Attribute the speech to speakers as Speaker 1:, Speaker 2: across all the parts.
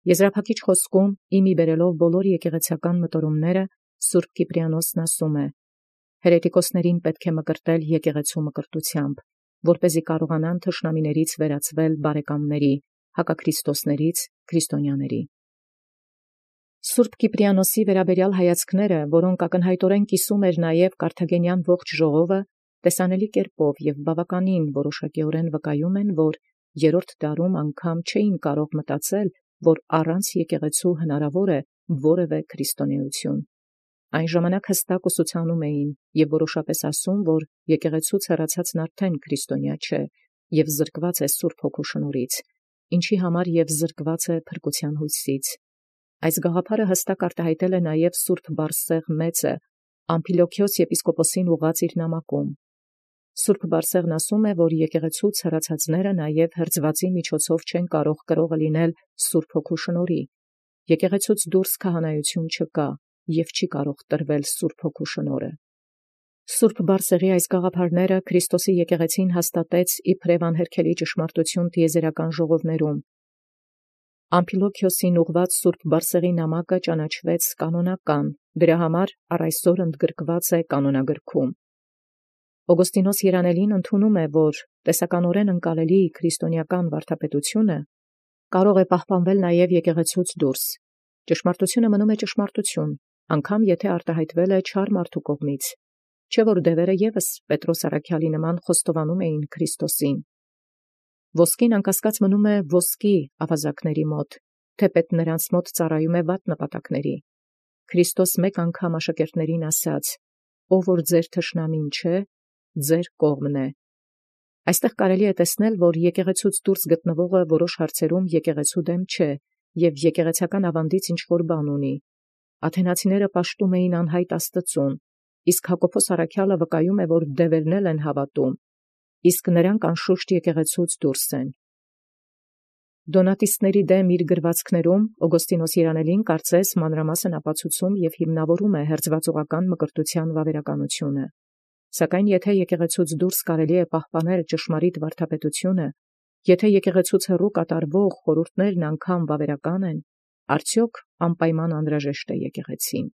Speaker 1: Եզրափակիչ խոսքում իմի բերելով բոլոր եկեղեցական մտորումները Սուրբ Կիպրիանոսն ասում է. հերետիկոսներին պետք է մկրտել եկեղեցու մկրտությամբ, որպեսզի կարողանան թշնամիներից վերածվել բարեկամների, հակաքրիստոսներից քրիստոնյաների։ Սուրբ Կիպրիանոսի վերաբերյալ հայացքները, որոնք ակնհայտորեն կիսում էր նաև Կարթագենյան ողջ ժողովը, տեսանելի կերպով և բավականին որոշակիորեն վկայում են, որ երրորդ դարում անգամ չէին կարող մտածել, որ առանց եկեղեցու հնարավոր է որևէ քրիստոնեություն։ Այն ժամանակ հստակ ուսուցանում էին և որոշապես ասում, որ եկեղեցուց հեռացածն արդեն քրիստոնյա չէ և զրկված է Սուրբ Հոգու շնորհից, ինչի համար և զրկված է փրկության հույսից։ Այս գաղափարը հստակ արտահայտել է նաև Սուրբ Բարսեղ մեծը Ամփիլոքիոս եպիսկոպոսին ուղղած իր նամակում։ Սուրբ Բարսեղն ասում է, որ եկեղեցուց հեռացածները նաև հրձվածի միջոցով չեն կարող կրողը լինել Սուրբ Հոգու շնորհի։ Եկեղեցուց դուրս քահանայություն չկա և չի կարող տրվել Սուրբ Հոգու շնորհը։ Սուրբ Բարսեղի այս գաղափարները Քրիստոսի եկեղեցին հաստատեց իբրև անհերքելի ճշմարտություն տիեզերական ժողովներում։ Ամփիլոքիոսին ուղղված Սուրբ Բարսեղի նամակը ճանաչվեց կանոնական, դրա համար առ այսօր ընդգրկված է կանոնագրքում։ Օգոստինոս Երանելին ընդունում է, որ տեսականորեն ընկալելի քրիստոնեական վարդապետությունը կարող է պահպանվել նաև եկեղեցուց դուրս։ Ճշմարտությունը մնում է ճշմարտություն, անգամ եթե արտահայտվել է չար մարդու կողմից, չէ՞ որ դևերը ևս Պետրոս առաքյալի նման խոստովանում էին Քրիստոսին։ Ոսկին անկասկած մնում է ոսկի ավազակների մոտ, թեպետ նրանց մոտ ծառայում է վատ նպատակների։ Քրիստոս մեկ անգամ աշակերտներին ասաց. «Ով որ ձեր թշնամին չէ, ձեր կողմն է»։ Այստեղ կարելի է տեսնել, որ եկեղեցուց դուրս գտնվողը որոշ հարցերում եկեղեցու դեմ չէ և եկեղեցական ավանդից ինչ-որ բան ունի։ Աթենացիները պաշտում էին անհայտ Աստծուն, իսկ Հակոբոս առաքյալը վկայում է, որ դևերն էլ են հավատում, իսկ նրանք անշուշտ եկեղեցուց դուրս են։ Դոնատիստների դեմ իր գրվածքներում Օգոստինոս Երանելին կարծես մանրամասն ապացուցում և հիմնավորում է հերձվածողական մկրտության վավերականությունը։ Սակայն եթե եկեղեցուց դուրս կարելի է պահպանել ճշմարիտ վարդապետությունը, եթե եկեղեցուց հեռու կատարվող խորհուրդներն անգամ վավերական են, արդյոք անպայման անհրաժեշտ է եկեղեցին։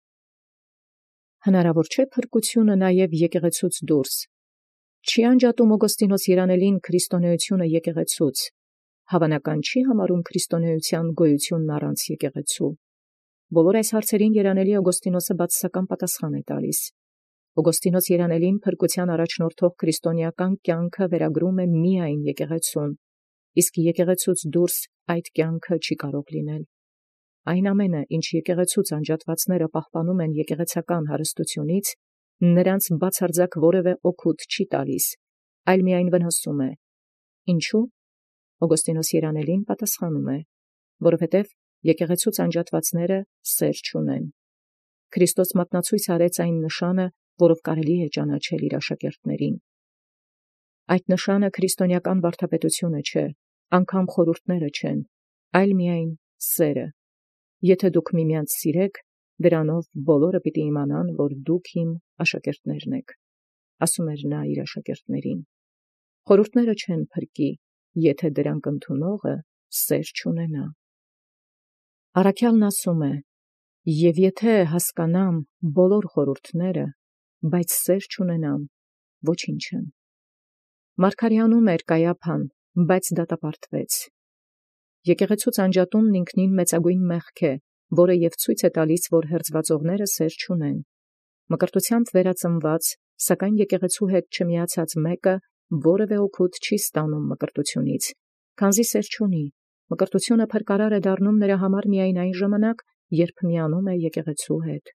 Speaker 1: Հնարավոր չէ փրկությունը նաև եկեղեցուց դուրս։ Չի անջատում Օգոստինոս Երանելին քրիստոնեությունը եկեղեցուց։ Հավանական չի համարում քրիստոնեության գոյությունն առանց եկեղեցու։ Բոլոր այս հարցերին Երանելի Օգոստինոսը բացասական պատասխան է տալիս։ Օգոստինոս Երանելին փրկության առաջնորդող քրիստոնեական կյանքը վերագրում է միայն եկեղեցուն, իսկ եկեղեցուց դուրս այդ կյանքը չի կարող լինել։ Այն ամենը, ինչ եկեղեցուց անջատվածները պահպանում են եկեղեցական հարստությունից, նրանց բացարձակ որևէ օգուտ չի տալիս, այլ միայն վնասում է։ Ինչու՞։ Օգոստինոս Երանելին պատասխանում է. որովհետև եկեղեցուց անջատվածները սեր չունեն։ Քրիստոս մատնացույց արեց այն նշանը, որով կարելի է ճանաչել իր աշակերտներին։ Այդ նշանը քրիստոնեական վարդապետությունը չէ, անգամ խորհուրդները չեն, այլ միայն սերը։ Եթե դուք միմյանց սիրեք, դրանով բոլորը պիտի իմանան, որ դուք իմ աշակերտներն եք, ասում էր նա իր աշակերտներին։ Խորհուրդները չեն փրկի, եթե դրանք ընդունողը սեր չունենա։ Առաքյալն ասում է. «Եվ եթե հասկանամ բոլոր խորհուրդները, բայց սեր չունենամ, ոչինչ եմ»։ Մարգարեանում էր Կայափան, բայց դատապարտվեց։ Եկեղեցուց անջատումն ինքնին մեծագույն մեղք է, որը և ցույց է տալիս, որ հերձվածողները սեր չունեն։ Մկրտությամբ վերածնված, սակայն եկեղեցու հետ չմիացած մեկը որևէ օգուտ չի ստանում մկրտությունից, քանզի սեր չունի։ Մկրտությունը փրկարար է դառնում նրա համար միայն այն ժամանակ, երբ միանում է եկեղեցու հետ։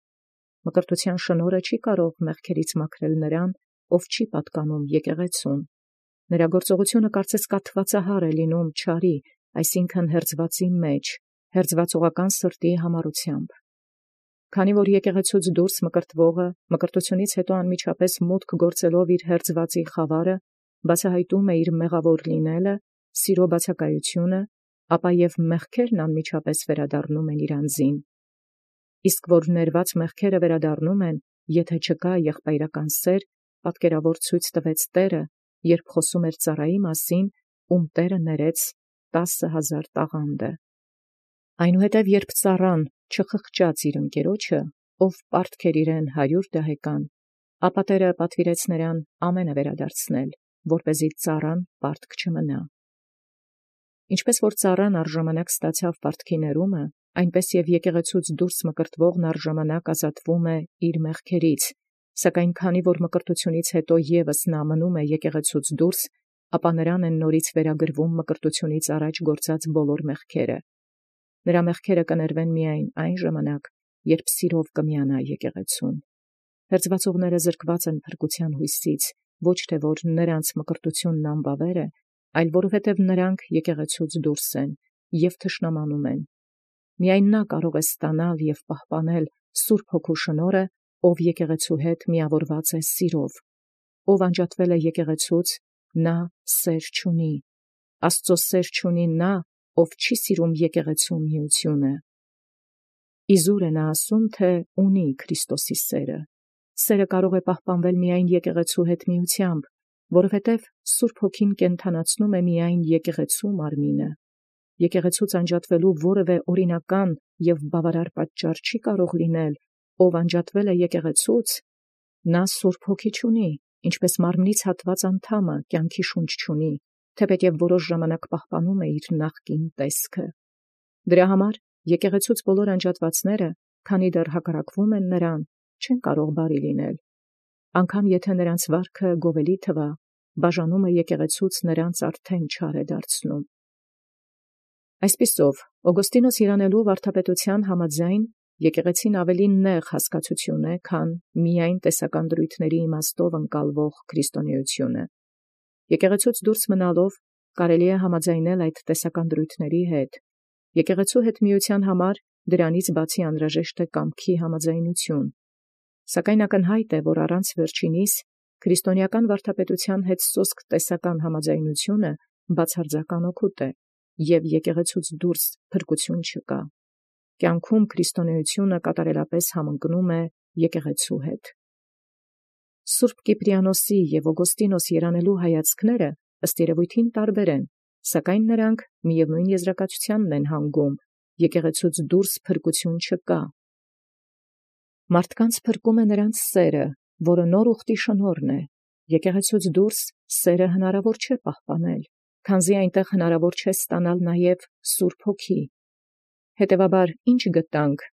Speaker 1: Մկրտության շնորհը չի կարող մեղքերից մաքրել նրան, ով չի պատկանում եկեղեցուն։ Նրա գործողությունը կարծես կաթվածահար է լինում չարի, այսինքն հերձվածի մեջ, հերձվածողական սրտի համառությամբ։ Քանի որ եկեղեցուց դուրս մկրտվողը մկրտությունից հետո անմիջապես մուտք գործելով իր հերձվածի խավարը, բացահայտում է իր մեղավոր լինելը, սիրո բացակայությունը, ապա և մեղքերն անմիջապես վերադառնում են իր անձին։ Իսկ որ ներված մեղքերը վերադառնում են, եթե չկա եղբայրական սեր, պատկերավոր ցույց տվեց Տերը, երբ խոսում էր ծառայի մասին, ում Տերը ներեց 10,000 տաղանդը։ Այնուհետև երբ ծառան չխղճաց իր ընկերոջը, ով պարտքեր իրեն 100 դահեկան, ապա Տէրը պատվիրեց նրան ամենը վերադարձնել, որպեսզի ծառան պարտք չմնա։ Ինչպես որ ծառան առժամանակ ստացավ պարտքի ներումը, այնպես և եկեղեցուց դուրս մկրտվողն առժամանակ ազատվում է իր մեղքերից, սակայն քանի որ մկրտությունից հետո ևս նա մնում է եկեղեցուց դուրս, ապա նրան են նորից վերագրվում մկրտությունից առաջ գործած բոլոր մեղքերը։ Նրա մեղքերը կներվեն միայն այն ժամանակ, երբ սիրով կմիանա եկեղեցուն։ Հերձվածողները զրկված են փրկության հույսից, ոչ թե որ նրանց մկրտությունն անբավեր է, այլ որովհետև նրանք եկեղեցուց դուրս են և թշնամանում են։ Միայն նա կարող է ստանալ և պահպանել Սուրբ Հոգու շնորհը, ով եկեղեցու հետ միավորված է սիրով։ Ով անջատվել է եկեղեցուց, նա սեր չունի։ Աստծո սեր չունի նա, ով չի սիրում եկեղեցու միությունը։ Իզուր է նա ասում, թե ունի Քրիստոսի սերը։ Սերը կարող է պահպանվել միայն եկեղեցու հետ միությամբ, որովհետև Սուրբ Հոգին կենդանացնում է միայն եկեղեցու մարմինը։ Եկեղեցուց անջատվելու որևէ օրինական և բավարար պատճառ չի կարող լինել, ով անջատվել է եկեղեցուց, նա Սուրբ Հոգի չունի, ինչպես մարմնից հատված անդամը կյանքի շունչ չունի, թեպետև որոշ ժամանակ պահպանում է իր նախկին տեսքը։ Դրա համար եկեղեցուց բոլոր անջատվածները, քանի դեռ հակառակվում են նրան, չեն կարող բարի լինել։ Անգամ եթե նրանց վարքը գովելի թվա, բաժանումը եկեղեցուց նրանց արդեն չար է դարձնում։ Այսպիսով, Օգոստինոս երանելու վարդապետության համաձայն եկեղեցին ավելի նեղ հասկացություն է, քան միայն տեսական դրույթների իմաստով ընկալվող քրիստոնեությունը։ Եկեղեցուց դուրս մնալով կարելի է համաձայնել այդ տեսական դրույթների հետ։ Եկեղեցու հետ միության համար դրանից բացի անհրաժեշտ է կամքի համաձայնություն։ Սակայն ակնհայտ է, որ առանց վերջինիս քրիստոնեական վարդապետության հետ սոսկ տեսական համաձայնությունը բացարձական օգուտ է, և եկեղեցուց դուրս փրկություն չկա։ Կյանքում քրիստոնեությունը կատարելապես համընկնում է եկեղեցու հետ։ Սուրբ Կիպրիանոսի և Օգոստինոս երանելու հայացքները ըստ երևույթին տարբեր են, սակայն նրանք միևնույն եզրակացությանն են հանգում. եկեղեցուց դուրս փրկություն չկա։ Մարդկանց փրկում է նրանց սերը, որը նոր ուխտի շնորհն է։ Եկեղեցուց դուրս սերը հնարավոր չէ պահպանել, քանզի այնտեղ հնարավոր չէ ստանալ նաև Սուրբ Հոգի։ Հետևաբար ինչ գտանք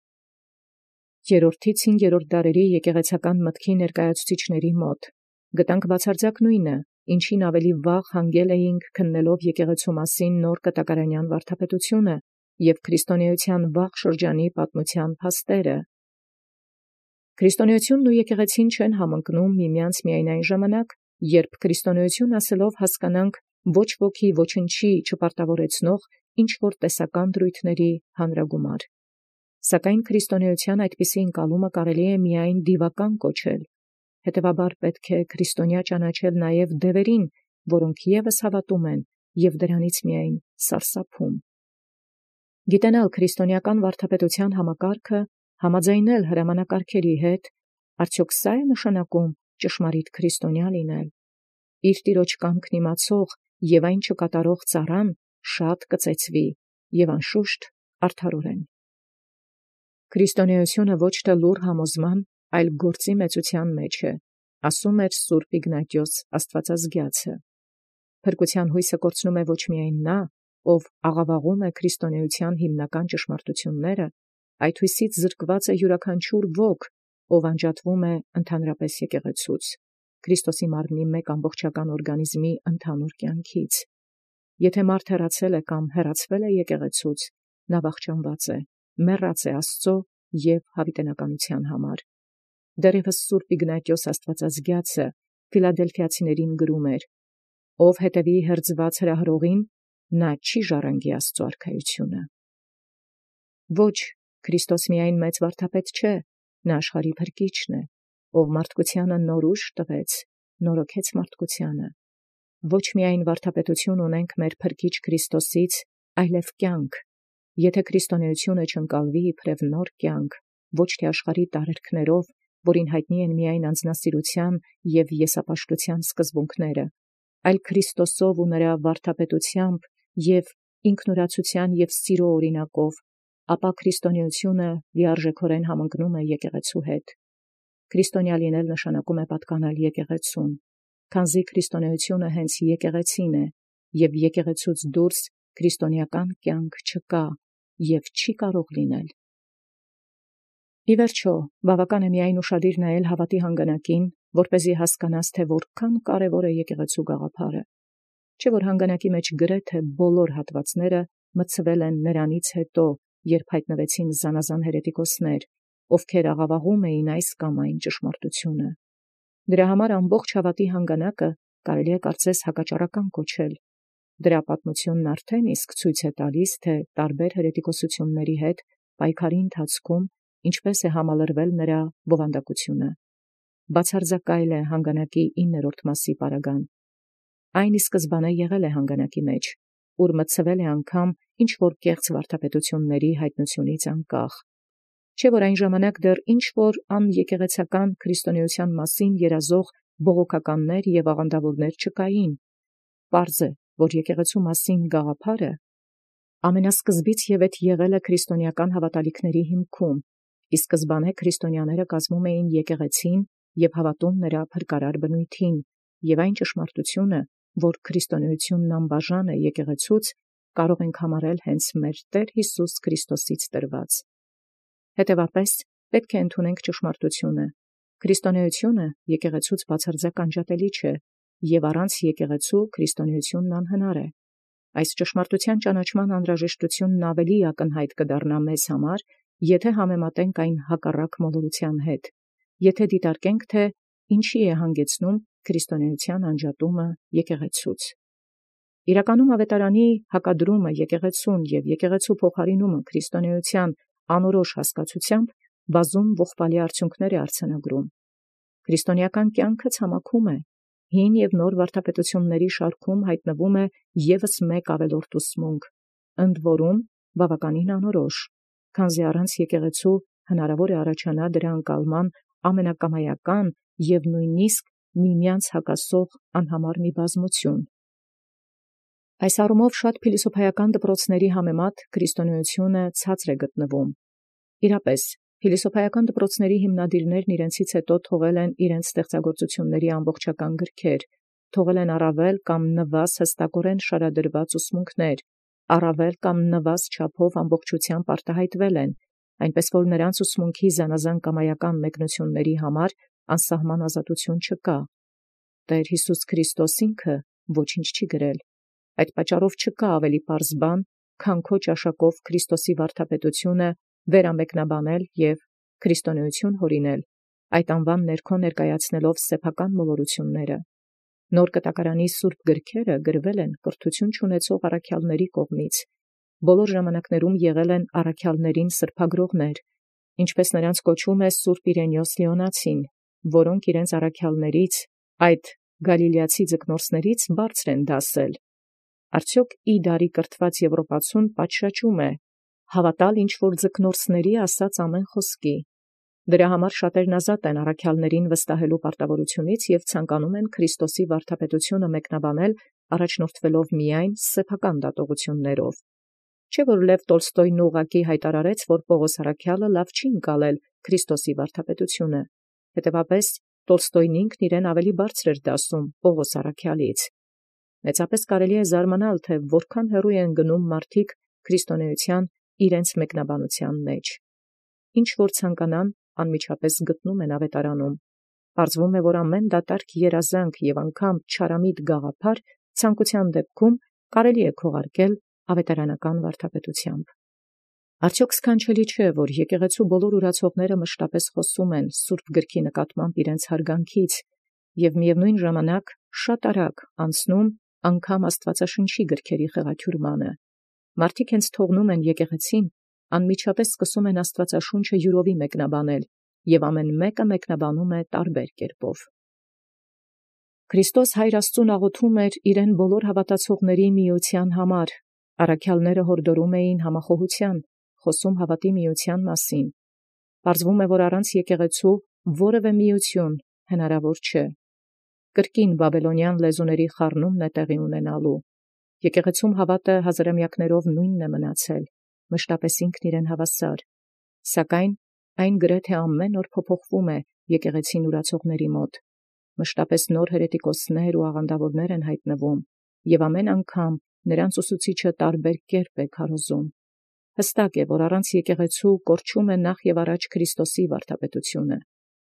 Speaker 1: 3-ից 5-րդ դարերի եկեղեցական մտքի ներկայացուցիչների մոտ։ Գտանք բացարձակ նույնը, ինչին ավելի վաղ հանգել էինք քննելով եկեղեցու մասին նոր կտակարանյան վարդապետությունը և քրիստոնեության վաղ շրջանի պատմության փաստերը։ Քրիստոնեությունն ու եկեղեցին չեն համընկնում միմյանց միայն այն ժամանակ, երբ քրիստոնեություն ասելով հասկանանք ոչ ոքի ոչնչի չպարտավորեցնող ինչ-որ տեսական դրույթների հանրագումար։ Սակայն քրիստոնեության այդպիսի ընկալումը կարելի է միայն դիվական կոչել։ Հետևաբար պետք է քրիստոնյա ճանաչել նաև դևերին, որոնք ևս հավատում են և դրանից միայն սարսափում։ Գիտենալ քրիստոնեական վարդապետության համակարգը, համաձայնել հրամանակարգերի հետ, արդյոք սա է նշանակում ճշմարիտ քրիստոնյա լինել։ Իր տիրոջ կամքն իմացող և այն չկատարող ծառան շատ կծեծվի և անշուշտ արդարորեն։ Քրիստոնեությունը ոչ թե լուռ համոզման, այլ գործի մեծության մեջ է, ասում էր Սուրբ Իգնատիոս Աստվածազգյացը։ Փրկության հույսը կորցնում է ոչ միայն նա, ով աղավաղում է քրիստոնեության հիմնական ճշմարտությունները, այդ հույսից զրկված է յուրաքանչյուր ոք, ով անջատվում է ընդհանրապես եկեղեցուց, Քրիստոսի մարմնի մեկ ամբողջական օրգանիզմի ընդհանուր կյանքից։ Եթե մարդ հեռացել է կամ հեռացվել է եկեղեցուց, նա վախճանված է, մեռած է Աստծո և հավիտենականության համար։ Դեռևս Սուրբ Իգնատիոս Աստվածազգյացը Ֆիլադելֆիացիներին գրում էր. «Ով հետևի հերձված հրահրողին, նա չի ժառանգի Աստծո արքայությունը»։ Ոչ, Քրիստոս միայն մեծ վարդապետ չէ, նա աշխարհի փրկիչն է, ով մարդկությանը նոր ուժ տվեց, նորոգեց մարդկությանը։ Ոչ միայն վարդապետություն ունենք մեր Փրկիչ Քրիստոսից, այլև կյանք։ Եթե քրիստոնեությունը չընկալվի իբրև նոր կյանք, ոչ թե աշխարհի տարերքներով, որին հայտնի են միայն անձնասիրության և եսապաշտության սկզբունքները, այլ Քրիստոսով ու նրա վարդապետությամբ և ինքնուրացության և սիրո օրինակով, ապա քրիստոնեությունը լիարժեքորեն համընկնում է եկեղեցու հետ։ Քրիստոնյա լինել նշանակում է պատկանել եկեղեցուն, քանզի քրիստոնեությունը հենց եկեղեցին է, եւ եկեղեցուց դուրս քրիստոնեական կյանք չկա եւ չի կարող լինել։ Ի վերջո, բավական է միայն ուշադիր նայել հավատի հանգանակին, որպեսզի հասկանաս, թե որքան կարևոր է եկեղեցու գաղափարը։ Չէ՞ որ հանգանակի մեջ գրեթե բոլոր հատվածները մտցվել են նրանից հետո, երբ հայտնվեցին զանազան հերետիկոսներ, ովքեր աղավաղում էին այս կամ այն ճշմարտությունը։ Դրա համար ամբողջ հավատի հանգանակը կարելի է կարծես հակաճառական կոչել։ Դրա պատմությունն արդեն իսկ ցույց է տալիս, թե տարբեր հերետիկոսությունների հետ պայքարի ընթացքում ինչպես է համալրվել նրա բովանդակությունը։ Բացարձակայել է հանգանակի 9-րդ մասի պարագան։ Այն ի սկզբանե եղել է հանգանակի մեջ, ուր մտցվել է անգամ ինչ-որ կեղծ վարդապետությունների հայտնությունից անկախ։ Չէ՞ որ այն ժամանակ դեռ ինչ-որ անեկեղեցական քրիստոնեության մասին երազող բողոքականներ և աղանդավորներ չկային։ Պարզ է, որ եկեղեցու մասին գաղափարը ամենասկզբից ևեթ եղել է քրիստոնեական հավատալիքների հիմքում, ի սկզբանե քրիստոնյաները կազմում էին եկեղեցին և հավատում նրա փրկարար բնույթին, և այն ճշմարտությունը, որ քրիստոնեությունն անբաժան է եկեղեցուց, կարող ենք համարել հենց մեր Տեր Հիսուս Քրիստոսից տրված։ Հետևաբար, պետք է ընդունենք ճշմարտությունը։ Քրիստոնեությունը եկեղեցուց բացարձակ անջատելի չէ, և առանց եկեղեցու քրիստոնեությունն անհնար է։ Այս ճշմարտության ճանաչման անհրաժեշտությունն ավելի ակնհայտ կդառնա մեզ համար, եթե համեմատենք այն հակառակ մոլորության հետ, եթե դիտարկենք, թե ինչի է հանգեցնում քրիստոնեության անջատումը եկեղեցուց։ Իրականում ավետարանի հակադրումը եկեղեցուն և եկեղեցու փոխարինումը քրիստոնեության անորոշ հասկացությամբ բազում ողբալի արդյունքներ է արձանագրում։ Քրիստոնեական կյանքը ցամաքում է, հին և նոր վարդապետությունների շարքում հայտնվում է ևս մեկ ավելորդ ուսմունք, ընդ որում բավականին անորոշ, քանզի առանց եկեղեցու հնարավոր է առաջանա դրա ընկալման ամենակամայական և նույնիսկ միմյանց հակասող անհամար մի բազմություն։ Այս առումով շատ փիլիսոփայական դպրոցների համեմատ քրիստոնեությունը ցածր է գտնվում։ Իրապես, փիլիսոփայական դպրոցների հիմնադիրներն իրենցից հետո թողել են իրենց ստեղծագործությունների ամբողջական գրքեր, թողել են առավել կամ նվազ հստակորեն շարադրված ուսմունքներ, առավել կամ նվազ չափով ամբողջությամբ արտահայտվել են, այնպես որ նրանց ուսմունքի զանազան կամայական մեկնությունների համար անսահման ազատություն չկա։ Տեր Հիսուս Քրիստոս ինքը ոչինչ չի գրել։ Այդ պատճառով չկա ավելի պարզ բան, քան քո ճաշակով Քրիստոսի վարդապետությունը վերամեկնաբանել և քրիստոնեություն հորինել, այդ անվան ներքո ներկայացնելով սեփական մոլորությունները։ Նոր կտակարանի սուրբ գրքերը գրվել են կրթություն չունեցող առաքյալների կողմից, բոլոր ժամանակներում եղել են առաքյալներին սրբագրողներ, ինչպես նրանց կոչում է Սուրբ Իրենիոս Լեոնացին, որոնք իրենց առաքյալներից, այդ գալիլեացի ձկնորսներից բարձր են դասել։ Արդյոք իդարի կրթված Եվրոպացուն պատշաճում է հավատալ ինչ-որ ձկնորսների ասած ամեն խոսքի։ Դրա համար շատերն ազատ են առաքյալներին վստահելու պարտավորությունից և ցանկանում են Քրիստոսի վարդապետությունը մեկնաբանել առաջնորդվելով միայն սեփական դատողություններով։ Չէ՞ որ Լև Տոլստոյն ուղղակի հայտարարեց, որ Պողոս առաքյալը լավ չի ընկալել Քրիստոսի վարդապետությունը։ Հետևաբար, Տոլստոյն ինքն իրեն ավելի բարձր էր դասում Պողոս առաքյալից։ Մեծապես կարելի է զարմանալ, թե որքան հեռու են գնում մարդիկ քրիստոնեության իրենց մեկնաբանության մեջ։ Ինչ որ ցանկանան, անմիջապես գտնում են ավետարանում։ Պարզվում է, որ ամեն դատարկ երազանք և անգամ չարամիտ գաղափար ցանկության դեպքում կարելի է քողարկել ավետարանական վարդապետությամբ։ Արդյոք սքանչելի չէ, որ եկեղեցու բոլոր ուրացողները մշտապես խոսում են Սուրբ Գրքի նկատմամբ իրենց հարգանքից և միևնույն ժամանակ շատ արագ անցնում անգամ Աստվածաշնչի գրքերի խեղաթյուրմանը։ Մարդիկ հենց թողնում են եկեղեցին, անմիջապես սկսում են Աստվածաշունչը յուրովի մեկնաբանել, և ամեն մեկը մեկնաբանում է տարբեր կերպով։ Քրիստոս Հայր Աստծուն աղոթում էր իրեն բոլոր հավատացողների միության համար։ Առաքյալները հորդորում էին համախոհության, խոսում հավատի միության մասին։ Պարզվում է, որ առանց եկեղեցու որևէ միություն հնարավոր չէ։ Կրկին բաբելոնյան լեզուների խառնումն է տեղի ունենալու։ Եկեղեցում հավատը հազարամյակներով նույնն է մնացել։ մշտապես ինքն իրեն հավասար, սակայն այն գրեթե ամեն օր փոփոխվում է եկեղեցին ուրացողների մոտ, մշտապես նոր հերետիկոսներ ու աղանդավորներ են հայտնվում, և ամեն անգամ նրանց ուսուցիչը տարբեր կերպ է քարոզում։ Հստակ է, որ առանց եկեղեցու կորչում է նախ և առաջ Քրիստոսի վարդապետությունը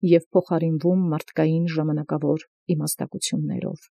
Speaker 1: և փոխարինվում մարդկային ժամանակավոր իմաստակություններով։